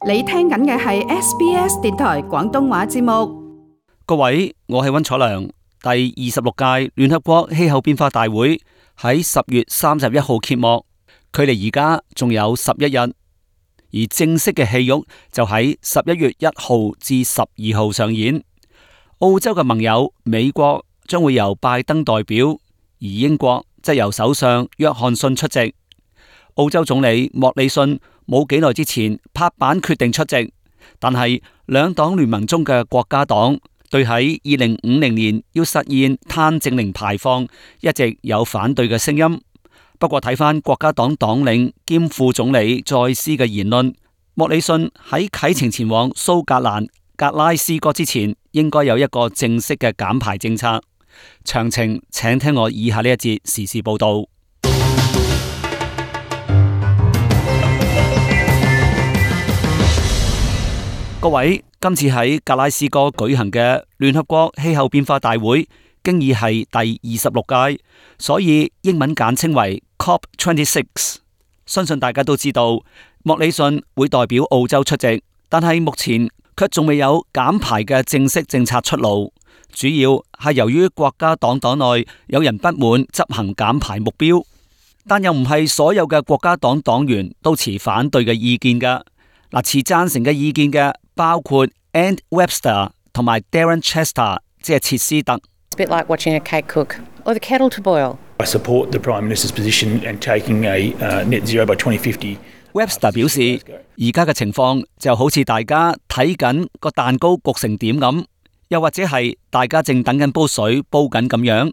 你聽緊嘅係 SBS 電台廣東話節目。各位，我係溫楚良。第26屆聯合國氣候變化大會喺10月31號揭幕，距離而家仲有11日，而正式嘅戲肉就喺11月1號至12號上演。澳洲嘅盟友美國將會由拜登代表，而英國則由首相約翰遜出席。澳洲總理莫里遜冇幾耐之前拍板決定出席，但係兩黨聯盟中嘅國家黨對喺2050年要實現碳淨零排放一直有反對嘅聲音。不過睇返國家黨黨領兼副總理再斯嘅言論，莫里遜喺啟程前往蘇格蘭格拉斯哥之前，應該有一個正式嘅減排政策。詳情請聽我以下呢一節時事報道。各位，今次喺格拉斯哥舉行嘅聯合國氣候變化大會，經已係第26屆，所以英文簡稱為 COP26。相信大家都知道，莫里遜會代表澳洲出席，但係目前卻仲未有減排嘅正式政策出爐，主要係由於國家黨黨內有人不滿執行減排目標，但又唔係所有嘅國家黨黨員都持反對嘅意見㗎。持贊成嘅意見嘅包括 Anne Webster 同埋 Darren Chester， 即係切斯特。It's a bit like watching a cake cook or the kettle to boil. I support the Prime Minister's position and taking a net zero by 2050. Webster 表示，而家嘅情況就好似大家睇緊個蛋糕焗成點咁，又或者係大家正等緊煲水煲緊咁樣。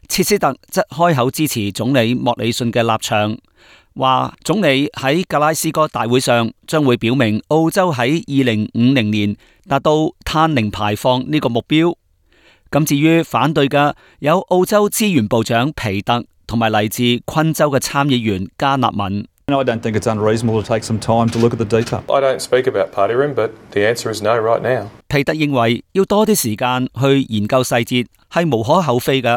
切斯特則開口支持總理莫里遜嘅立場，話總理喺格拉斯哥大會上將會表明澳洲喺2050年達到碳零排放呢個目標。咁至於反對嘅有澳洲資源部長皮特同埋嚟自昆州嘅參議員加納文。I don't think it's unreasonable to take some time to look at the detail. I don't speak about party room, but the answer is no right now. 皮特認為要多啲時間去研究細節係無可厚非嘅，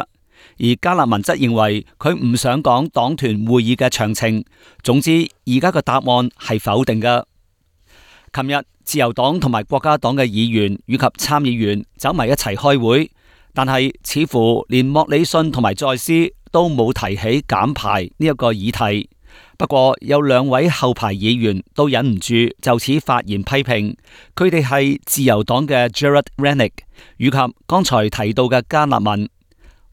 而加納文則認為佢唔想講黨團會議嘅詳情。總之，而家嘅答案係否定嘅。琴日自由黨同埋國家黨嘅議員以及參議員走埋一齊開會，但係似乎連莫里遜同埋再斯都冇提起減排呢一個議題。不過有兩位後排議員都忍唔住就此發言批評，佢哋係自由黨嘅 Gerard Rennick 以及剛才提到嘅加納文。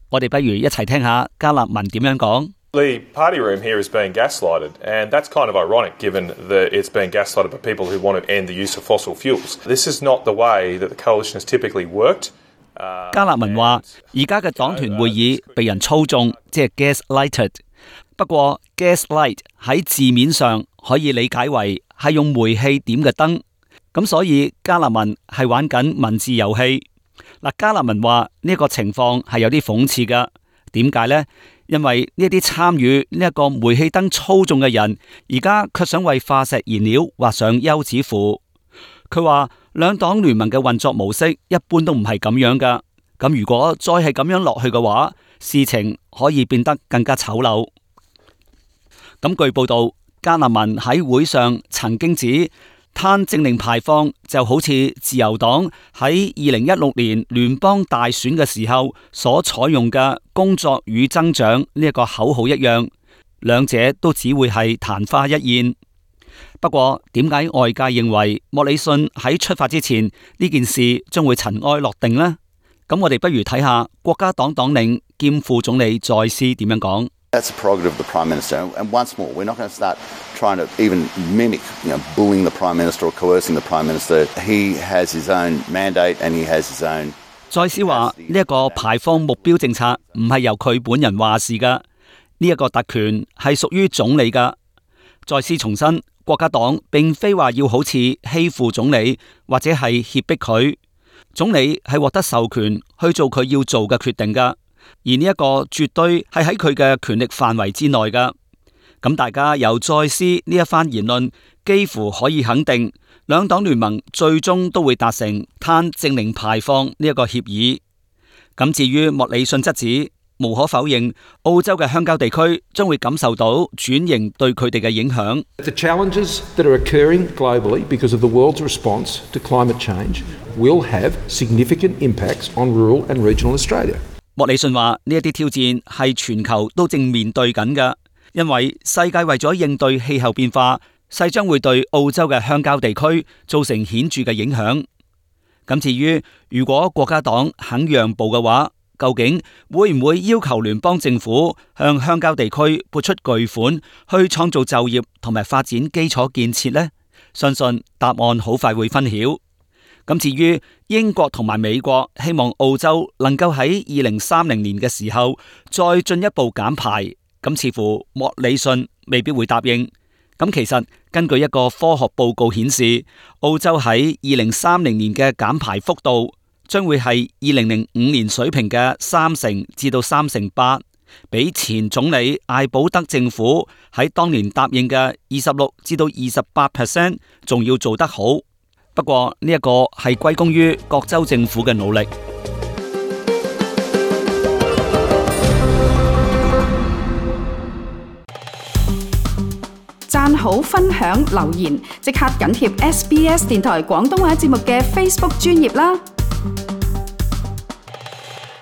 我哋不如一齊聽下加納文點樣講。The party room here is being gaslighted, and that's kind of ironic given that it's being gaslighted by people who want to end the use of fossil fuels. This is not the way that the coalition has typically worked. 加納文話：而家嘅黨團會議被人操縱，即係 gaslighted。不過 gaslight 喺字面上可以理解為係用煤氣點嘅燈，咁所以加納文係玩緊文字遊戲。加納文話呢個情況係有啲諷刺噶，點解呢？因為呢啲參與呢一個煤氣燈操縱嘅人，而家卻想為化石燃料畫上休止符。佢話兩黨聯盟嘅運作模式一般都唔係咁樣噶，咁如果再係咁樣落去嘅話，事情可以變得更加醜陋。咁據報道，加納文喺會上曾經指，碳淨零排放就好似自由黨喺2016年聯邦大選嘅時候所採用嘅工作與增長呢一個口號一樣，兩者都只會係曇花一現。不過點解外界認為莫里遜喺出發之前呢件事將會塵埃落定呢？咁我哋不如睇下國家黨黨領兼副總理再斯點樣講。That's a prerogative of the Prime Minister. And once more, we're not going to start trying to even mimic, bullying the Prime Minister or coercing the Prime Minister. He has his own mandate and he has his own. 再斯話呢一個排放目標政策唔係由佢本人話事噶，呢一個特權係屬於總理噶。再斯重申，國家黨並非話要好似欺負總理或者係脅迫佢，總理係獲得授權去做佢要做嘅決定噶。而呢一個絕對係喺佢嘅權力範圍之內噶。咁大家由再斯呢一番言論，幾乎可以肯定，兩黨聯盟最終都會達成碳淨零排放呢一個協議。咁至於莫里遜則指，無可否認，澳洲嘅鄉郊地區將會感受到轉型對佢哋嘅影響。The challenges that are occurring globally because of the world's response to climate change will have significant impacts on rural and regional Australia. 莫里遜話：呢一啲挑戰係全球都正面對緊嘅，因為世界為咗應對氣候變化，勢將會對澳洲嘅鄉郊地區造成顯著嘅影響。咁至於如果國家黨肯讓步嘅話，究竟會唔會要求聯邦政府向鄉郊地區撥出巨款去創造就業同埋發展基礎建設呢？相信答案好快會分曉。咁至於英國同埋美國希望澳洲能夠喺2030年嘅時候再進一步減排，咁似乎莫里遜未必會答應。咁其實根據一個科學報告顯示，澳洲喺2030年嘅減排幅度將會係2005年水平嘅30%至到8%，比前總理艾保德政府喺當年答應嘅26%至到28%仲要做得好。不過呢一個係歸功於各州政府嘅努力。讚好、分享、留言，即刻緊貼SBS 電台廣東話節目嘅 Facebook 專頁啦！